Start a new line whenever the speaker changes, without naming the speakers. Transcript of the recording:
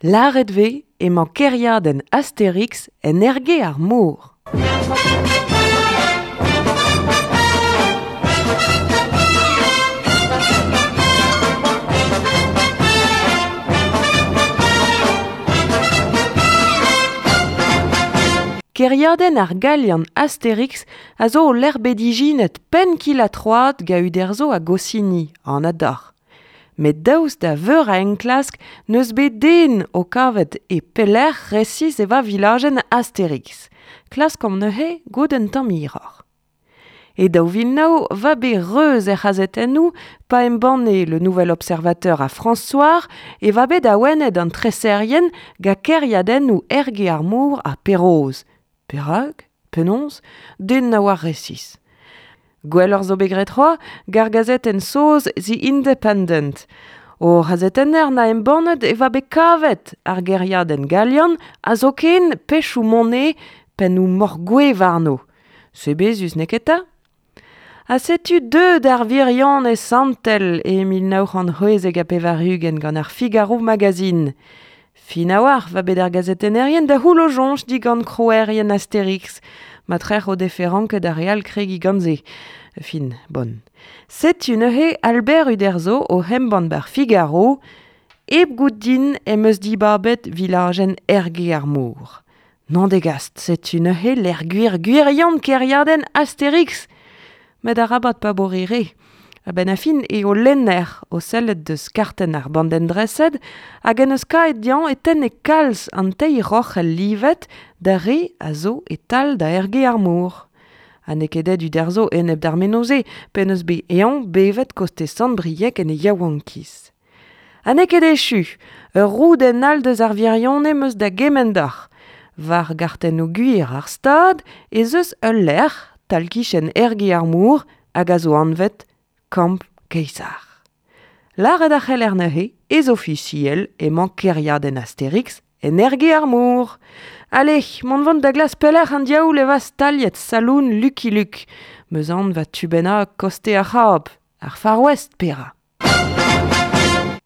Lâret 'vez emañ kêriadenn Asterix en Erge ar Mor. Kêriadenn ar Galian Asterix a zo o lec'h bet ijinet penn-kil-ha-troad gant Uderzo ha Goscinny, anat deoc'h. Met daoust da veur a enklask n'eus bet den o kavet e pelec'h resis e va vilajenn Asterix. Klaskomp neuze goût un tamm hiroc'h. E 2009 va bet reuz er c'hazetennoù pa embanne Le Nouvel Observateur ha France Soir e va bet awenet an treserien ga kêriadennoù Erge ar Mor ha Perroz. Perak? Penaos? Den na oar resis. Gwelloc'h zo bet graet c'hoazh g'ar gazetenn saoz The Independent. O c'hazetenner na embannet e va bet kavet ar gêriadenn galian ha zoken pechoù monnaie pennoù moc'h-gouez warno. Sebezus n'eo ket 'ta? Ha setu deuet ar wirionez santel e 1996 gant ar Figaro Magazine. Fin a-walc'h va bet ar gazetennerien da c'houlo soñj digant krouerien Asterix. Ma trec'h o defe ranket ar re all kregiñ gant se. Fin, bon. Setu neuze Albert Uderzo o embann bar Figaro. Hep goût din em eus dibabet vilajenn Erge ar Mor. N'on degast, setu neuze lec'h gwir gwirion kêriadenn Asterix. Met arabat pa bo re re. A-benn ar fin eo lenner o sellet deus kartenn ar bandenn dreset hag en deus kaet dezhañ e tenne kalz an teir roc'hell livet d'ar re a zo e-tal da Erge ar Mor. Ha n'eo ket aet Uderzo enep d'ar menoz-se p'en deus bet eñ bevet kostez Sant-Brieg en e yaouankiz. Ha n'eo ket echu, ur roudenn all deus ar wirionez 'm eus da gemenn deoc'h. War gartennoù gwir ar Stad ez eus ul lec'h tal-kichen Erge ar Mor hag a zo anvet Kamp Kaesar. Lâret a c'heller neuze ez ofisiel emañ kêriadenn Asterix en Erge ar Mor. Ale, mont 'vont da glask pelec'h an diaoul e va staliet saloon Lucky Luke. 'Meus anv va tu bennak koste ar C'hab, ar Far West pera.